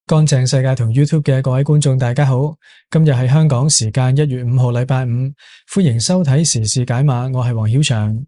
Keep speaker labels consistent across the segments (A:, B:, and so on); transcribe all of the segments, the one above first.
A: 乾淨世界同 YouTube 嘅各位觀眾，大家好。今日係香港時間1月5號，禮拜五，歡迎收睇時事解碼。我係黃曉翔。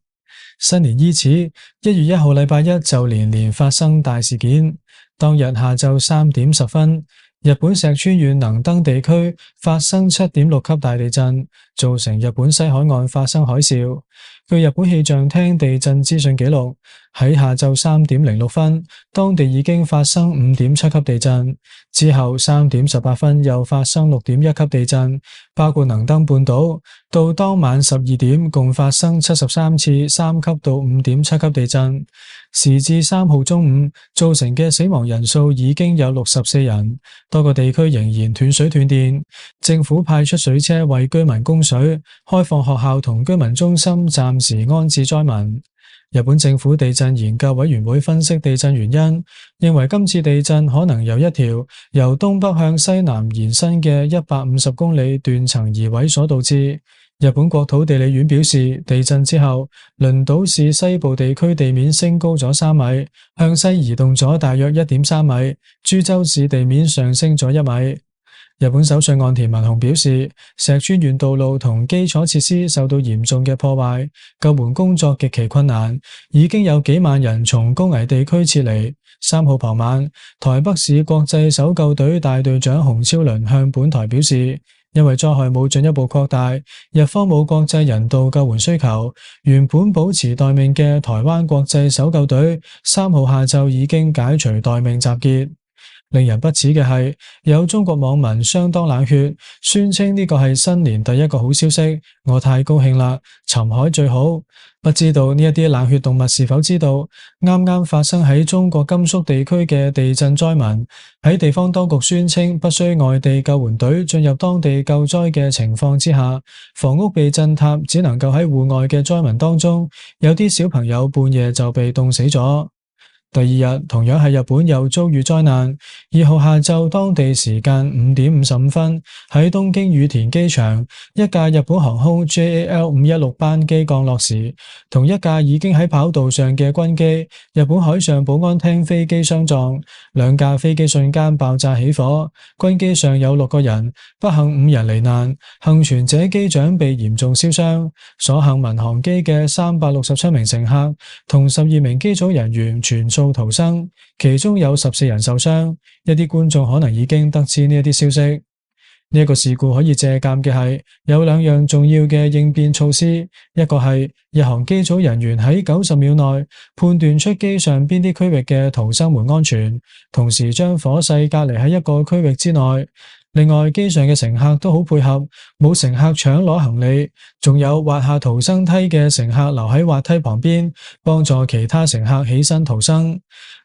A: 新年伊始，1月1號禮拜一就連連發生大事件。當日下晝3點10分，日本石川縣能登地區發生7.6級大地震，造成日本西海岸發生海嘯。據日本氣象廳地震資訊記錄，喺下晝3點06分，當地已經發生5.7級地震。之後3點18分又發生6.1級地震，包括能登半島。到當晚12點，共發生73次3級到5.7級地震。時至3號中午，造成嘅死亡人數已經有64人，多個地區仍然斷水斷電。政府派出水車為居民供水，開放學校同居民中心暫時安置災民。日本政府地震研究委員會分析地震原因，認為今次地震可能由一條由東北向西南延伸嘅150公里斷層移位所導致。日本國土地理院表示，地震之後，輪島市西部地區地面升高咗3米，向西移動咗大約1.3米，珠洲市地面上升咗1米。日本首相岸田文雄表示，石川縣道路同基礎設施受到嚴重嘅破壞，救援工作極其困難，已經有幾萬人從高危地區撤離。3號傍晚，台北市國際搜救隊大隊長洪超倫向本台表示，因為災害冇進一步擴大，日方冇國際人道救援需求，原本保持待命嘅台灣國際搜救隊3號下晝已經解除待命集結。令人不齒嘅係，有中國網民相當冷血，宣稱呢個係新年第一個好消息，我太高興啦，尋海最好。不知道呢一啲冷血動物是否知道，啱啱發生喺中國甘肅地區嘅地震災民，喺地方當局宣稱不需外地救援隊進入當地救災嘅情況之下，房屋被震塌，只能夠喺戶外嘅災民當中，有啲小朋友半夜就被凍死咗。第二日，同樣係日本又遭遇災難。2號下晝當地時間5點55分，喺東京羽田機場，一架日本航空 JAL516 班機降落時，同一架已經喺跑道上嘅軍機日本海上保安廳飛機相撞，兩架飛機瞬間爆炸起火。軍機上有6個人，不幸5人罹難，幸存者機長被嚴重燒傷。所幸民航機嘅367名乘客同12名機組人員全數逃生，其中有14人受傷。一啲觀眾可能已經得知呢一啲消息。呢一個事故可以借鑑嘅係有2樣重要嘅應變措施，一個係日航機組人員喺90秒內判斷出機上邊啲區域嘅逃生門安全，同時將火勢隔離喺一個區域之內。另外，機上嘅乘客都好配合，冇乘客搶攞行李，仲有滑下逃生梯嘅乘客留喺滑梯旁邊，幫助其他乘客起身逃生。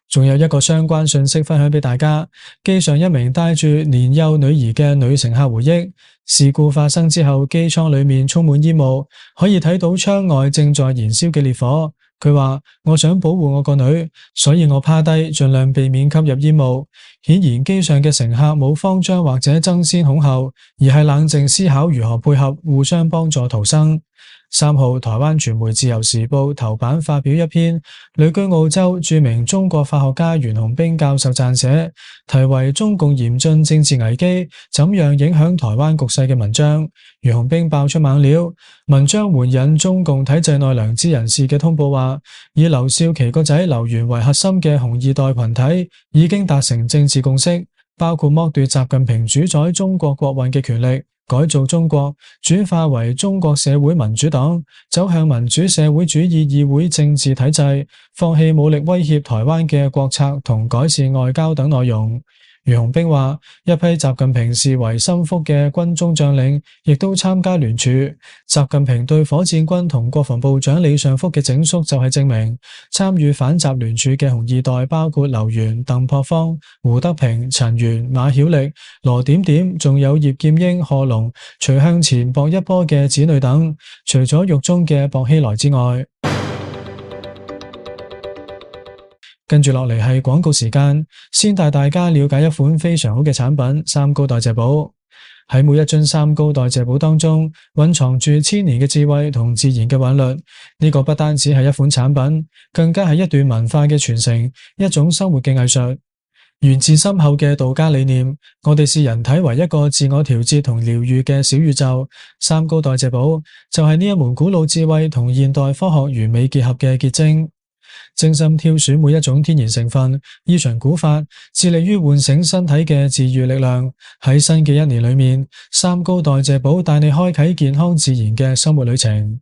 A: 仲有一個相關信息分享俾大家，機上一名帶住年幼女兒嘅女乘客回憶，事故發生之後，機艙裏面充滿煙霧，可以睇到窗外正在燃燒嘅烈火。佢話：我想保護我個女，所以我趴低，盡量避免吸入煙霧。顯然機上嘅乘客冇慌張或者爭先恐後，而係冷靜思考如何配合，互相幫助逃生。3號，台灣傳媒自由時報頭版發表一篇旅居澳洲著名中國法學家袁洪兵教授撰寫，題為《中共嚴峻政治危機怎樣影響台灣局勢》嘅文章。袁洪兵爆出猛料，文章援引中共體制內良知人士嘅通報話，以劉少奇個仔劉源為核心嘅紅二代群體已經達成政治共識，包括剝奪習近平主宰中國國運嘅權力，改造中國，轉化為中國社會民主黨，走向民主社會主義議會政治體制，放棄武力威脅台灣嘅國策同改善外交等內容。袁洪兵話，一批習近平視為心腹嘅軍中將領亦都參加聯署。習近平對火箭軍同國防部長李尚福嘅整肅就係證明。參與反習聯署嘅紅二代包括劉源、鄧樸方、胡德平、陳元、馬曉力、羅點點，仲有葉劍英、賀龍、徐向前、薄一波嘅子女等。除咗獄中嘅薄熙來之外，跟住落嚟係廣告時間，先帶大家了解一款非常好嘅產品——三高代謝寶。喺每一樽三高代謝寶當中，蘊藏住千年嘅智慧同自然嘅韻律。呢個不單止係一款產品，更加係一段文化嘅傳承，一種生活嘅藝術。源自深厚嘅道家理念，我哋視人體為一個自我調節同療愈嘅小宇宙。三高代謝寶就係呢一門古老智慧同現代科學完美結合嘅結晶。精心挑選每一種天然成分，依循古法，致力於喚醒身體嘅治愈力量。喺新嘅一年裏面，三高代謝寶帶你開啟健康自然嘅生活旅程。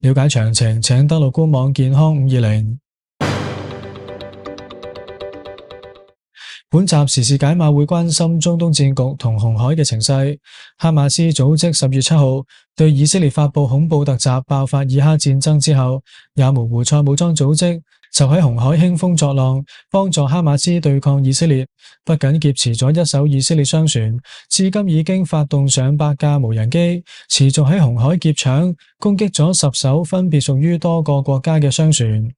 A: 了解詳情，請登錄官網健康520。本集時事解碼會關心中東戰局同紅海嘅情勢。哈馬斯組織10月7號對以色列發佈恐怖突襲，爆發以哈戰爭之後，也門胡塞武裝組織就喺紅海興風作浪，幫助哈馬斯對抗以色列。不僅劫持咗1艘以色列商船，至今已經發動上百架無人機，持續喺紅海劫搶，攻擊咗10艘分別屬於多個國家嘅商船。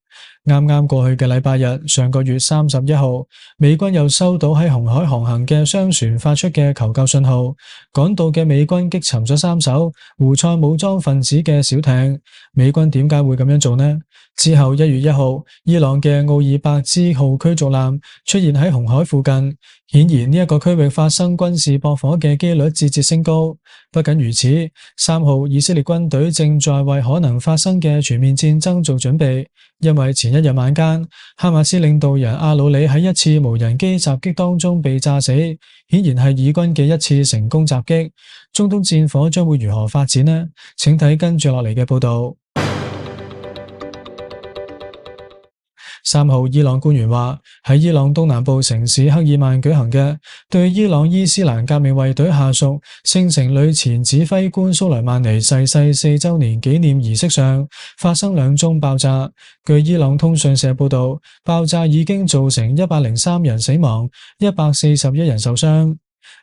A: 啱啱過去嘅禮拜日，上個月31號，美軍又收到喺紅海航行嘅商船發出嘅求救信號，趕到嘅美軍擊沉咗3艘胡塞武裝分子嘅小艇。美軍點解會咁樣做呢？之後1月1號，伊朗嘅奧爾伯茲號驅逐艦出現喺紅海附近，顯然呢一個區域發生軍事駁火嘅幾率節節升高。不僅如此，3號以色列軍隊正在為可能發生嘅全面戰爭做準備，因為前一日晚間，哈馬斯領導人阿魯里喺一次無人機襲擊當中被炸死，顯然係以軍嘅一次成功襲擊。中東戰火將會如何發展呢？請睇跟住落嚟嘅報道。3號，伊朗官員話，喺伊朗東南部城市克爾曼舉行嘅對伊朗伊斯蘭革命衛隊下屬聖城旅前指揮官蘇萊曼尼逝世4週年紀念儀式上，發生2宗爆炸。據伊朗通訊社報道，爆炸已經造成103人死亡，141人受傷。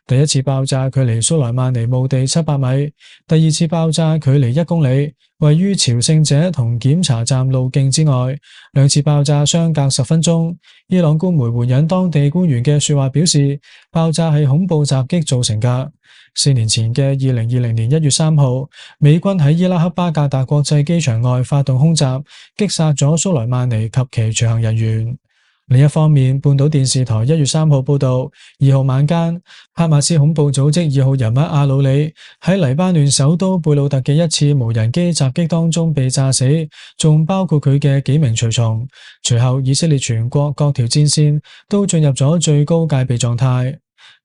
A: 第一次爆炸距離蘇萊曼尼墓地700米，第二次爆炸距離1公里，位於朝聖者同檢查站路徑之外。2次爆炸相隔10分鐘。伊朗官媒援引當地官員嘅說話表示，爆炸係恐怖襲擊造成㗎。4年前嘅2020年1月3號，美軍喺伊拉克巴格達國際機場外發動空襲，擊殺咗蘇萊曼尼及其隨行人員。另一方面，半島電視台1月3號報道，2號晚間，哈馬斯恐怖組織2號人物阿魯里喺黎巴嫩首都貝魯特嘅一次無人機襲擊當中被炸死，仲包括佢嘅幾名隨從。隨後，以色列全國各條戰線都進入咗最高戒備狀態。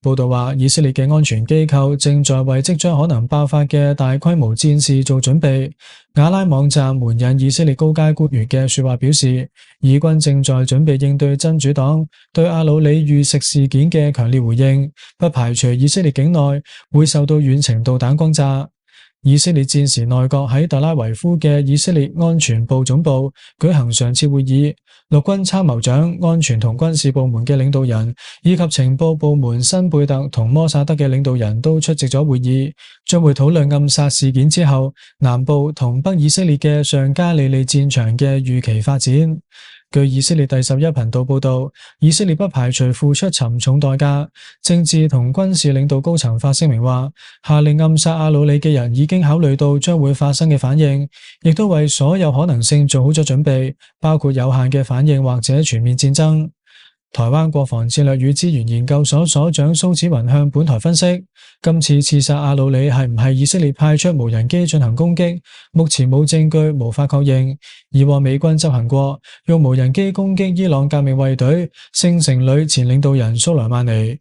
A: 報道話，以色列嘅安全機構正在為即將可能爆發嘅大規模戰事做準備。瓦拉網站援引以色列高階官員嘅說話表示，以軍正在準備應對真主黨對阿魯里遇刺事件嘅強烈回應，不排除以色列境內會受到遠程導彈轟炸。以色列戰時內閣喺特拉維夫嘅以色列安全部總部舉行常設會議，陸軍參謀長、安全同軍事部門嘅領導人以及情報部門辛貝特同摩薩德嘅領導人都出席咗會議，將會討論暗殺事件之後南部同北以色列嘅上加利利戰場嘅預期發展。據以色列第11頻道報道，以色列不排除付出沉重代價。政治同軍事領導高層發聲明話，下令暗殺阿魯里嘅人已經考慮到將會發生嘅反應，亦都為所有可能性做好咗準備，包括有限嘅反應或者全面戰爭。台灣國防戰略與資源研究所所長蘇紫雲向本台分析，今次刺殺阿魯里係唔係以色列派出無人機進行攻擊，目前冇證據，無法確認。以往美軍執行過用無人機攻擊伊朗革命衛隊聖城旅前領導人蘇萊曼尼。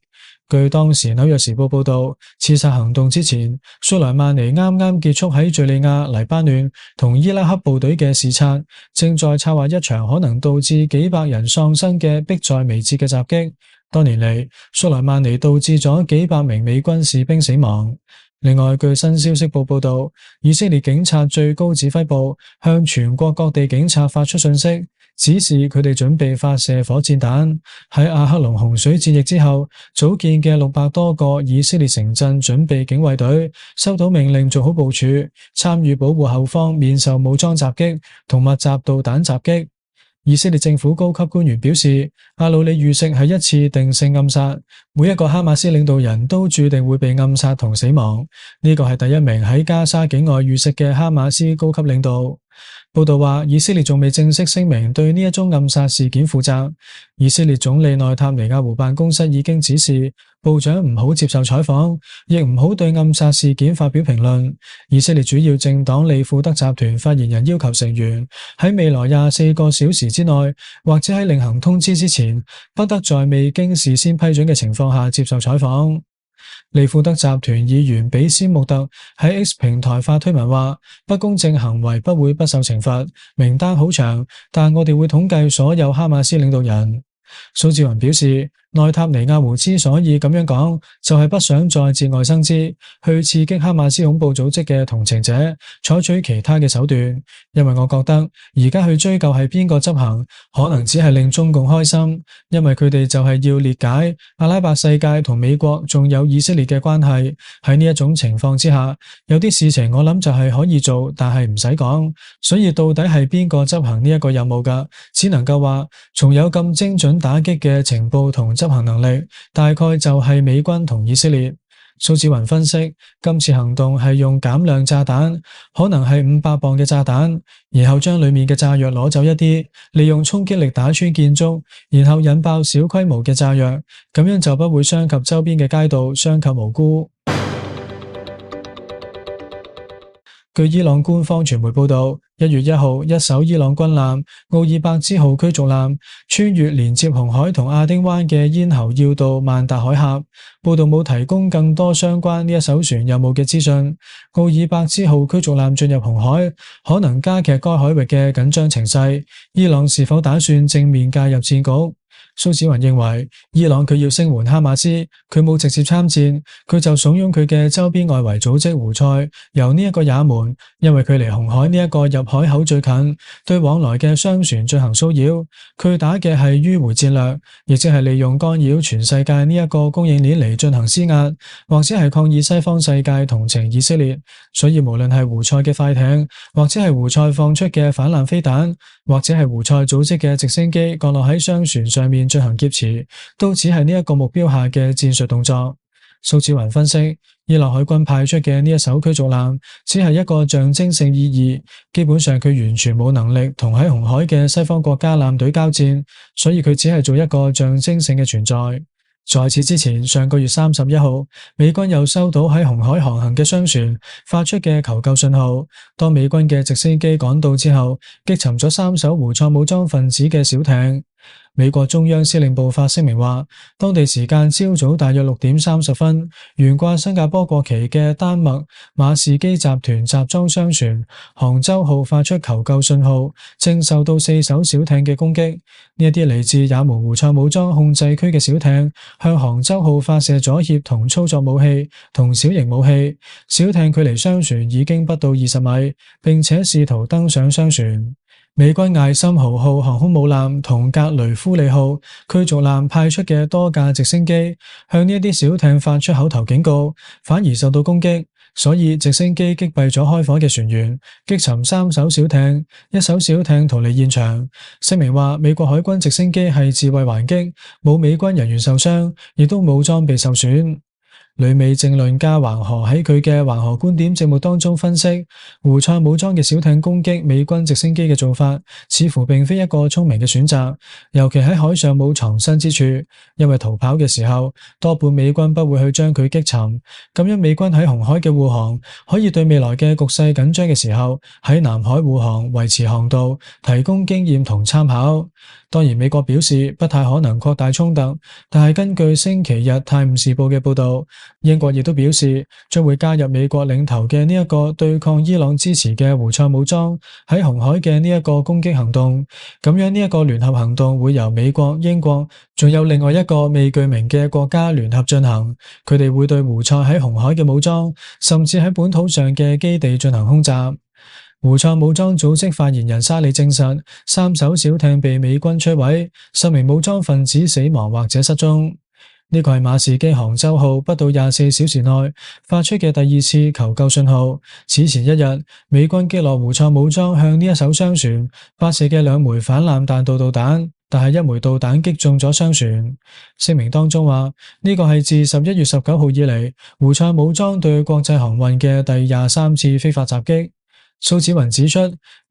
A: 據當時紐約時報報道，刺殺行動之前，蘇萊曼尼啱啱結束喺敘利亞、黎巴嫩同伊拉克部隊嘅視察，正在策劃一場可能導致幾百人喪生嘅迫在眉睫嘅襲擊。多年嚟，蘇萊曼尼導致咗幾百名美軍士兵死亡。另外，據新消息報道，以色列警察最高指揮部向全國各地警察發出信息，指示佢哋準備發射火箭彈。喺阿克隆洪水戰役之後組建嘅600多個以色列城鎮準備警衛隊收到命令做好部署，參與保護後方免受武裝襲擊同密集導彈襲擊。以色列政府高級官員表示，阿魯里遇刺係一次定性暗殺，每一個哈馬斯領導人都注定會被暗殺同死亡。呢個係第一名喺加沙境外遇刺嘅哈馬斯高級領導。報道話，以色列仲未正式聲明對呢一宗暗殺事件負責。以色列總理內塔尼亞胡辦公室已經指示部長唔好接受採訪，亦唔好對暗殺事件發表評論。以色列主要政黨利庫德集團發言人要求成員喺未來24個小時之內，或者喺另行通知之前，不得在未經事先批准嘅情況下接受採訪。利庫德集團議員比斯穆特喺 X 平台發推文話，不公正行為不會不受懲罰，名單好長，但我哋會統計所有哈馬斯領導人。蘇志雲表示，內塔尼亞胡之所以咁樣講，就係不想再節外生枝，去刺激哈馬斯恐怖組織嘅同情者，採取其他嘅手段。因為我覺得而家去追究係邊個執行，可能只係令中共開心，因為佢哋就係要裂解阿拉伯世界同美國仲有以色列嘅關係。喺呢一種情況之下，有啲事情我諗就係可以做，但係唔使講。所以到底係邊個執行呢一個任務㗎？只能夠話，從有咁精準打擊嘅情報同執行能力，大概就係美軍同以色列。蘇志雲分析，今次行動係用減量炸彈，可能係500磅嘅炸彈，然後將裏面嘅炸藥攞走一啲，利用衝擊力打穿建築，然後引爆小規模嘅炸藥，咁樣就不會傷及周邊嘅街道，傷及無辜。據伊朗官方傳媒報道，1月1號，一艘伊朗軍艦奧爾伯茲號驅逐艦穿越連接紅海同亞丁灣嘅咽喉要道曼達海峽。報道冇提供更多相關呢一艘船任務嘅資訊。奧爾伯茲號驅逐艦進入紅海，可能加劇該海域嘅緊張情勢。伊朗是否打算正面介入戰局？蘇子雲認為，伊朗佢要聲援哈馬斯，佢冇直接參戰，佢就慫恿佢嘅周邊外圍組織胡塞由呢一個也門，因為佢離紅海呢一個入海口最近，對往來嘅商船進行騷擾。佢打嘅係迂回戰略，亦即係利用干擾全世界呢一個供應鏈嚟進行施壓，或者係抗議西方世界同情以色列。所以無論係胡塞嘅快艇，或者係胡塞放出嘅反艦飛彈，或者係胡塞組織嘅直升機降落喺商船上面進行劫持，都只係呢一個目標下嘅戰術動作。蘇志雲分析，伊朗海軍派出嘅呢一艘驅逐艦只係一個象徵性意義，基本上佢完全冇能力同喺紅海嘅西方國家艦隊交戰，所以佢只係做一個象徵性嘅存在。在此之前，上個月31號，美軍又收到喺紅海航行嘅商船發出嘅求救信號。當美軍嘅直升機趕到之後，擊沉咗3艘胡塞武裝分子嘅小艇。美國中央司令部發聲明話，當地時間朝早大約6點30分，懸掛新加坡國旗嘅丹麥馬士基集團集裝箱船杭州號發出求救信號，正受到4艘小艇嘅攻擊。呢一啲嚟自也門胡塞武裝控制區嘅小艇向杭州號發射阻脅同操作武器同小型武器，小艇距離商船已經不到20米，並且試圖登上商船。美軍艾森豪號航空母艦同格雷夫利號驅逐艦派出嘅多架直升機向呢一啲小艇發出口頭警告，反而受到攻擊，所以直升機擊斃咗開火嘅船員，擊沉3艘小艇，一艘小艇逃離現場。聲明話，美國海軍直升機係自衛還擊，冇美軍人員受傷，亦都冇裝備受損。旅美政論家橫河喺佢嘅橫河觀點節目當中分析，胡塞武裝嘅小艇攻擊美軍直升機嘅做法，似乎並非一個聰明嘅選擇，尤其喺海上冇藏身之處，因為逃跑嘅時候，多半美軍不會去將佢擊沉。咁樣美軍喺紅海嘅護航，可以對未來嘅局勢緊張嘅時候，喺南海護航維持航道，提供經驗同參考。當然，美國表示不太可能擴大衝突，但係根據星期日泰晤士報嘅報道，英國亦都表示將會加入美國領頭嘅呢一個對抗伊朗支持嘅胡塞武裝喺紅海嘅呢一個攻擊行動。咁樣呢一個聯合行動會由美國、英國仲有另外一個未具名嘅國家聯合進行，佢哋會對胡塞喺紅海嘅武裝，甚至喺本土上嘅基地進行空襲。胡塞武裝組織發言人沙里證實，3艘小艇被美軍摧毀，10名武裝分子死亡或者失蹤。呢個係馬士基杭州號不到24小時內發出嘅第2次求救信號。此前一日，美軍擊落胡塞武裝向呢一艘商船發射嘅2枚反艦彈道導彈，但係1枚導彈擊中咗商船。聲明當中話，呢個係自11月19號以嚟胡塞武裝對國際航運嘅第23次非法襲擊。蘇紫雲指出，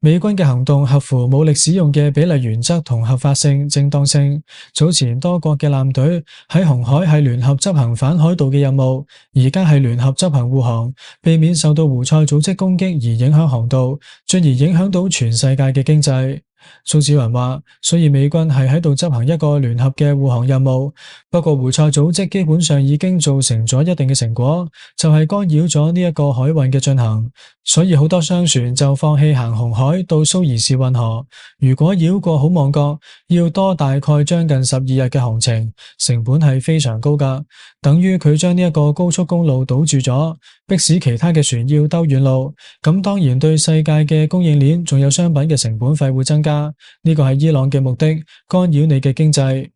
A: 美軍嘅行動合乎武力使用嘅比例原則同合法性、正當性。早前多國嘅艦隊喺紅海係聯合執行反海盜嘅任務，而家係聯合執行護航，避免受到胡塞組織攻擊而影響航道，進而影響到全世界嘅經濟。蘇紫雲話，所以美軍係喺度執行一個聯合嘅護航任務，不過胡塞組織基本上已經造成咗一定嘅成果，就係干擾咗呢一個海運嘅進行，所以好多商船就放棄行紅海到蘇伊士運河。如果繞過好望角，要多大概將近12日嘅航程，成本係非常高㗎，等於佢將呢一個高速公路堵住咗，迫使其他嘅船要兜遠路，咁當然對世界嘅供應鏈仲有商品嘅成本費會增加。呢個係伊朗嘅目的，干擾你嘅經濟。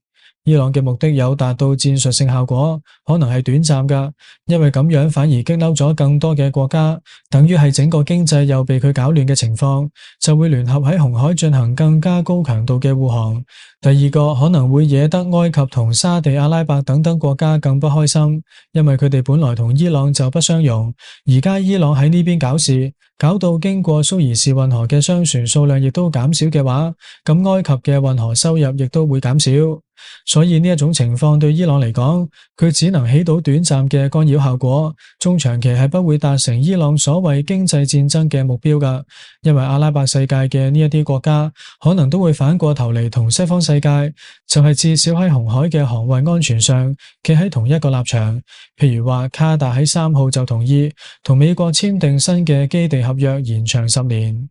A: 伊朗嘅目的有達到戰術性效果，可能係短暫㗎，因為咁樣反而激嬲咗更多嘅國家，等於係整個經濟又被佢搞亂嘅情況，就會聯合喺紅海進行更加高強度嘅護航。第二個可能會惹得埃及同沙地阿拉伯等等國家更不開心，因為佢哋本來同伊朗就不相容，而家伊朗喺呢邊搞事，搞到經過蘇伊士運河嘅商船數量亦都減少嘅話，咁埃及嘅運河收入亦都會減少。所以呢一種情況對伊朗嚟講，佢只能起到短暫嘅干擾效果，中長期係不會達成伊朗所謂經濟戰爭嘅目標㗎。因為阿拉伯世界嘅呢一啲國家可能都會反過頭嚟同西方世界，就係至少喺紅海嘅航運安全上企喺同一個立場。譬如話卡達喺3號就同意同美國簽訂新嘅基地合約，延長10年。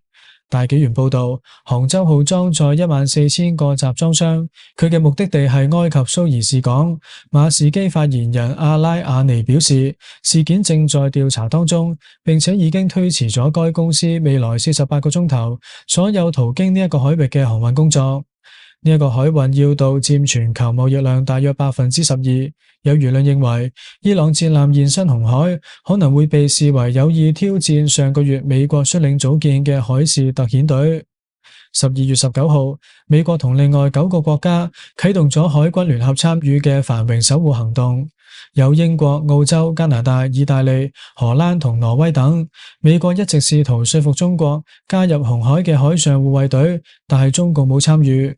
A: 大紀元報道，杭州號裝載14000個集裝箱，佢嘅目的地係埃及蘇伊士港。馬士基發言人阿拉亞尼表示，事件正在調查當中，並且已經推遲咗該公司未來48個鐘頭所有途經呢一個海域嘅航運工作。呢一個海運要道佔全球貿易量大約12%。有輿論認為，伊朗戰艦現身紅海，可能會被視為有意挑戰上個月美國率領組建嘅海事特遣隊。12月19號，美國同另外9個國家啟動咗海軍聯合參與嘅繁榮守護行動，有英國、澳洲、加拿大、意大利、荷蘭同挪威等。美國一直試圖說服中國加入紅海嘅海上護衛隊，但係中共冇參與。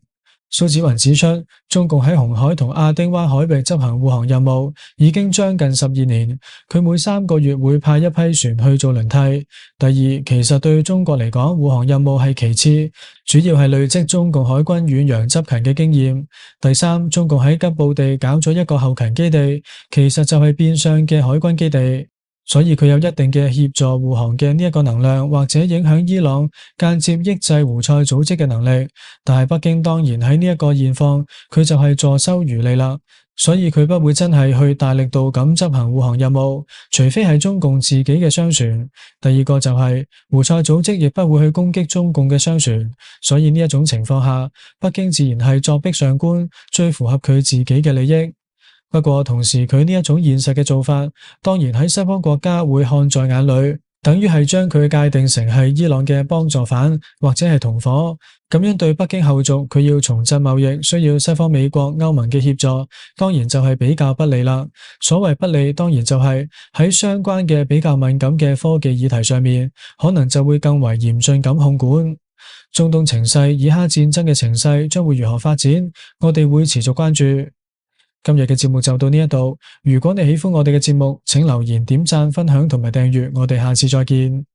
A: 蘇紫雲指出，中共喺紅海同亞丁灣海域執行護航任務已經將近12年，佢每3個月會派一批船去做輪替。第二，其實對中國嚟講，護航任務係其次，主要係累積中共海軍遠洋執勤嘅經驗。第三，中共喺吉布地搞咗一個後勤基地，其實就係變相嘅海軍基地。所以佢有一定嘅協助護航嘅呢一個能量，或者影響伊朗間接抑制胡塞組織嘅能力。但係北京當然喺呢一個現況，佢就係坐收漁利啦。所以佢不會真係去大力度咁執行護航任務，除非係中共自己嘅商船。第二個就係胡塞組織亦不會去攻擊中共嘅商船。所以呢一種情況下，北京自然係作壁上觀，最符合佢自己嘅利益。不過同時佢呢一種現實嘅做法，當然喺西方國家會看在眼裏，等於係將佢界定成係伊朗嘅幫助犯或者係同伙。咁樣對北京後續佢要重振貿易，需要西方美國、歐盟嘅協助，當然就係比較不利啦。所謂不利，當然就係喺相關嘅比較敏感嘅科技議題上面，可能就會更為嚴峻咁控管。中東情勢，以哈戰爭嘅情勢將會如何發展，我哋會持續關注。今日嘅節目就到呢一度，如果你喜歡我哋嘅節目，請留言、點讚、分享同埋訂閱，我哋下次再見。